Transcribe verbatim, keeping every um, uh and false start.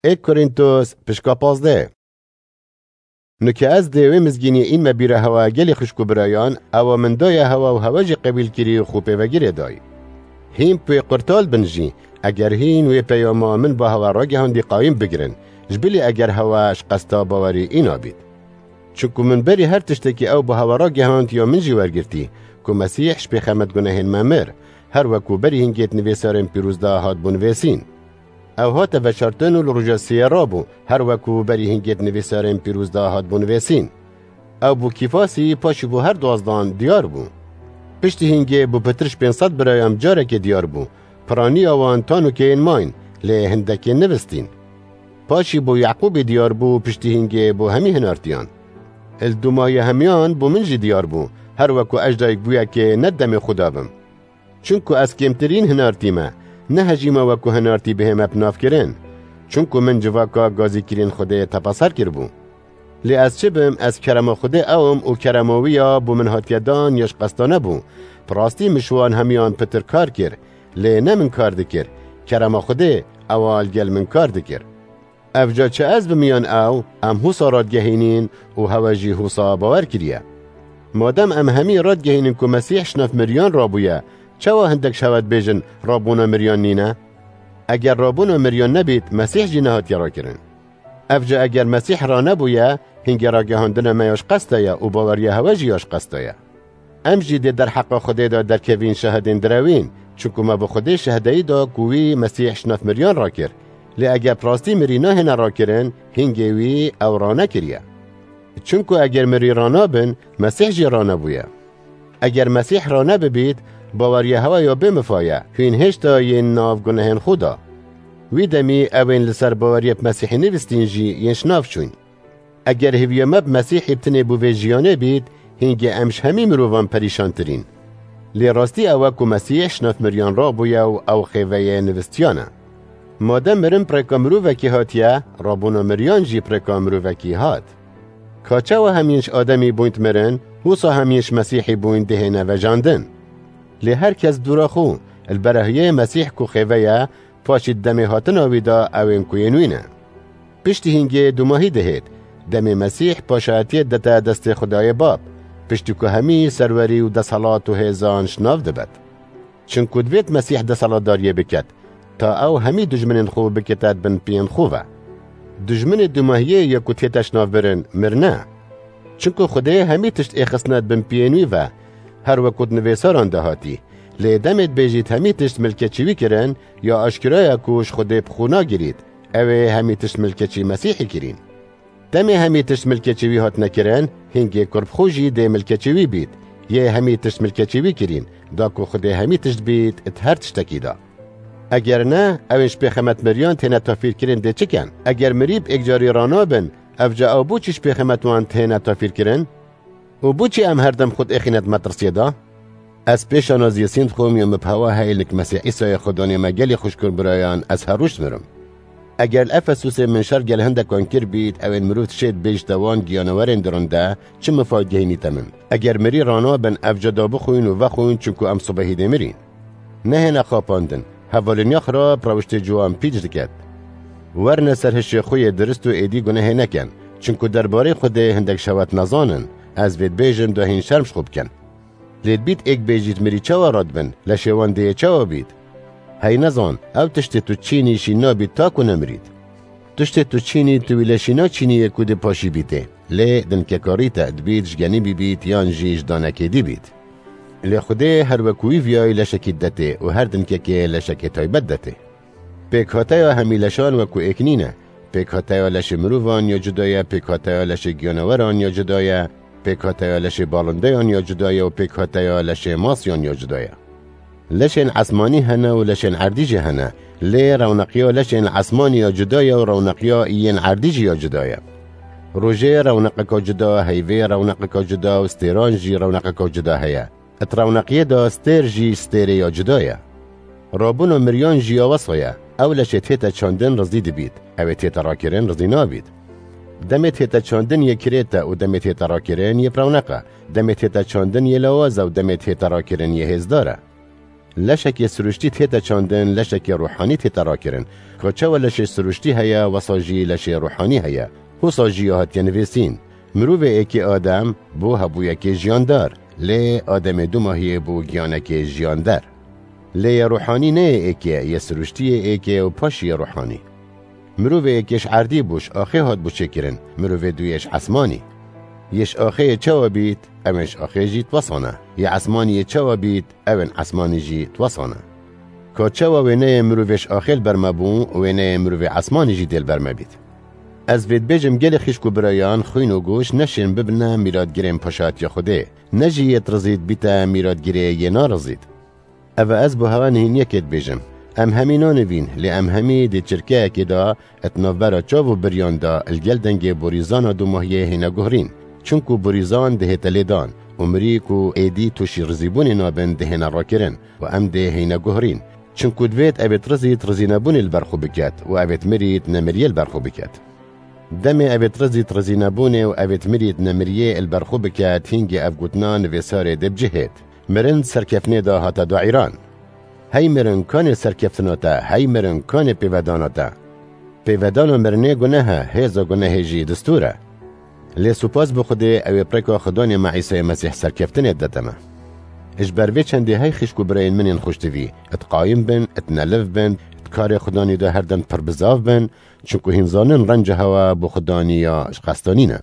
Êk Korintos, pişka pazdeh. Nuke ez dê wê mizgîniyê înme bîra hewa gelî xwişk û birayan, ewa min daye hewa û hewa jî qebîl kirî û xwe pêvegirê dayî. Hîn pê qurtal bin jî, eger hîn wê peyama min ba hewa ragihandî qayîm bigirin, ji bilî eger hewa ji qesta bawerî îna bît. Çunku min berî her tiştekî ew bi hewa ragihand ya min jî wergirtî, ku Mesîh ji pêxemet gunehên me mir, her weku berî hingêt nivêsarên pîroz de hat bû nivêsîn. Ew hate veşartin û li roja sêyê rabû, her weku berî hingêt nivêsarên pîroz de hat bû nivêsîn. Ew bû Kîfasî, paşî bû her duazdan diyar bû. Piştî hingê bû pitir ji pênc sed birayan carekê diyar bû. Piraniya wan tanûkeyên mayîn, lê hindekên nivistîn. Paşî bû Yaqûbê diyar bû, piştî hingê bû hemî hinartiyan. Li dûmahiya hemiyan bû min jî diyar bû, her weku ez dayikbûyekê ne demê xwe dabim. Çunku ez kêmtirîn hinartî me, ne hejî me weku hinartî bihê me bi nav kirin. Çunku min civaka gazîkirîn Xwedê tepeser kiribû. Lê ez çi bim, ez kerema Xwedê ew im û kerema wî ya bo min hatiye dan ya ji qesta nebû. Bi rastî min ji wan hemiyan pitir kar kir, lê ne min kar dikir, kerema Xwedê ewa li gel min kar dikir. Evca çi ez bim yan ew, em hûsa radigehînîn û hewe jî hûsa bawer kiriye. Madem em hemî radigehînin ku Mesîh ji nav miriyan rabûye, çawa hindek ji hewe dibêjin rabûna miriyan nîne? Eger rabûna miriyan nebît, Mesîh jî nehatiye rakirin. Evca eger Mesîh ranebûye, hingê ragihandina me ya ji qesta ye û baweriya hewe jî ya ji qesta ye. Em jî dê derheqa Xwedê de derkevîn şahidên direwîn, çunku me bi Xwedê şahdeyî da ku wî Mesîh ji nav miriyan rakir. Lê eger bi rastî mirî nahêne rakirin, hingê wî ew ranekiriye. Çunku eger mirî ranabin, Mesîh jî ranebûye. Eger Mesîh ranebibît, baweriya hewe ya bê mifa ye, hûn hêşta yên nav gunehên xwe da. Wî demî ewên li ser baweriya bi Mesîhê nivistîn jî yên ji nav çûn. Eger hêviya me bi Mesîhê bi tinê bo vê jiyanê bît, hingê em ji hemî mirovan perîşantirîn. Lê rastî ew e ku Mesîh ji nav miriyan rabûye û ew xêveyê nivistiyan e. Madem mirin bi rêka mirovekî hatiye, rabûna miriyan jî bi rêka mirovekî hat. Ka çawa hemîn ji Ademî bûyn dimirin, wisa hemîn ji Mesîhî bûyn dihêne vejandin. Lê her kes dûra xwe, li berahiyê Mesîh ku xêve ye, paşî di demê hatina wî de ew ên ku yên wî ne. Piştî hingê dûmahî dihêt, demê Mesîh paşayetiyê dete destê Xwedayê Bab, piştî ku hemî serwerî û desthilat û hêzan ji nav dibet. Çinku divêt Mesîh desthilatdariyê biket, ta ew hemî dijminên xwe bikete di bin piyên xwe ve. Dijminê dûmahiyê yê ku tête ji nav birin, mir ne. Çinku Xwedê hemî tişt ê xistine di bin piyên wî ve, her weku di nivêsaran de hatî. Lê demê dibêjît hemî tişt milketçî wî kirin, ya aşkira ye ku ji Xwedê bi xwe nagirît, ew ê hemî tişt milketçî Mesîhî kirîn. Demê hemî tişt milketçî wî hatine kirin, hingê kur bi xwe jî dê milketçî wî bît. Yê hemî tişt milketçî wî kirîn, da ku Xwedê hemî tişt bît di her tiştekî de. Eger ne, ew ên ji pêxemet miriyan têne tafîrkirin dê çi ken? Eger mirî bi êkcarî ranabin, evca ew bo çi ji pêxemet wan têne tafîrkirin? Û bo çi em her dem xwe diêxîne di metirsiyê de? Ez pêşanaziyê sînd dixwim ya min bi hewa heyl nik Mesîh Îsayê Xwedanê me gelî xwişk û birayan, ez her roj dimirim. Eger li Efesûsê min şer gel hindekan kir bît, ew ên mirov tiştê dibêjite wan giyanewerên dirinde, çi mifa gehînîte min? Eger mirî ranabin, evca da bixwîn û vexwîn, çunku em sibehî dê mirîn. Nehêne xapandin, hevaliniya xirab rewiştê ciwan pîç diket. Werne ser hişê xwe yê dirist û êdî gunehê neken, çinku derbarê Xwedê hindek ji hewe nezanin, ez vê dibêjim da hîn şerm ji xwe bikin. Lê dibît êk bêjît mirî çawa radibin, leşê wan dê yê çawa bît? Hey nezan, ew tiştê tu çînî şîn nabît ta ku nemirît. Tiştê tu çînî, tu wî leşî naçînî yê ku dê paşî bîtê. Lê dinkekarî te dibît ji genî bîbît yan jî ji danekê dî bît. Lê Xwedê her wekû wî viyayî leşekî detê û her dinkekê leşekê taybet detê. Pêkhateya hemî leşan wekû êk nîne. Pêkhateya leşê mirovan ya cuda ye, pêkhateya leşê giyaneweran ya cuda ye, pêkhateya leşê balindeyan ya cuda ye û pêkhateya leşê masiyan ya cuda ye. Leşên esmanî hene û leşên erdî jî hene, lê rewneqiya leşên esmanî ya cuda ye û rewneqiya yên erdî jî ya cuda ye. Rojê rewneqeka cuda, heyvê rewneqeka cuda û stêran jî rewneqeka cuda heye. Di rewneqiyê de stêr jî stêrê ya cuda ye. Rabûna miriyan jî ya wesa ye. Ew leşê tête çandin rizî dibît, ew ê tête rakirin rizî nabît. Demê tête çandin yê kirêt e û demê tête rakirin yê bi rewneq e. Demê tête çandin yê lawaz e û demê tête rakirin yê hêzdar e. Leşekê siruştî tête çandin, leşekê ruhanî tête rakirin. Ka çawa leşê siruştî heye, wesa jî leşê ruhanî heye. Hosa jî ya hatiye nivîsîn. Mirovê êkê Adem bû hebûyekê jiyandar, lê Ademê dumahiyê bû giyanekê jiyander. Lê yê ruhanî ne yê êkê, yê siruştî yê êkê û paşî yê ruhanî. Mirovê êkê ji erdî bû, ji axê hat bû çêkirin, mirovê duyê ji esmanî. Yê ji axê yê çawa bît, ew ên ji axê jî twesana. Yê esmanî yê çawa bît, ew ên esmanî jî twesana. Ka çawa wêneyê mirovê ji axê li ber me bû, wêneyê mirovê esmanî jî dê li ber me bît. Ez vê dibêjim gelê xîşk û birayan, xwîn û goş neşên bibine mîratgirên paşatiya Xwedê. Ne jî yê dirizît bîte mîratgirê yê narizît. Eve ez bo hewe nihîniyekê dibêjim. Em hemî nanivîn, lê em hemî di çirkeyekê de, di navbera çav û biriyan de, li gel dengê borîzana dumahiyê hêne guhrîn. Çinku borîzan dihête lêdan û mirî ku êdî tûşî rizîbûnê nabin dihêne rakirin û em dê hêne guhrîn. Çinku divêt evêt rizît rizînebûnê li ber xwe biket û evêt mirît nemiriyê li ber xwe biket. Demê evêt rizît rizînebûnê û evêt mirît nemiriyê li ber xwe biket, hîngê ev gotina nivîsarê dê bi cihêt. Mirin serkeftinê de hate daîran. Hey mirin, kanê serkeftina te, hey mirin, kanê pêvedana te. Pêvedana mirinê guneh e, hêza gunehê jî distûr e. Lê spas bi Xwedê, ew ê bi rêka Xudanê me Îsayê Mesîh serkeftinê didete me. Ji ber vê çendê hey xîşk û birayên min ên xweştivî, di qayim bin, di neliv bin, di karê Xudanî de her dem pir bizav bin, çinku hîn zanin renca hewa bo Xudanî ya ji qesta nîne.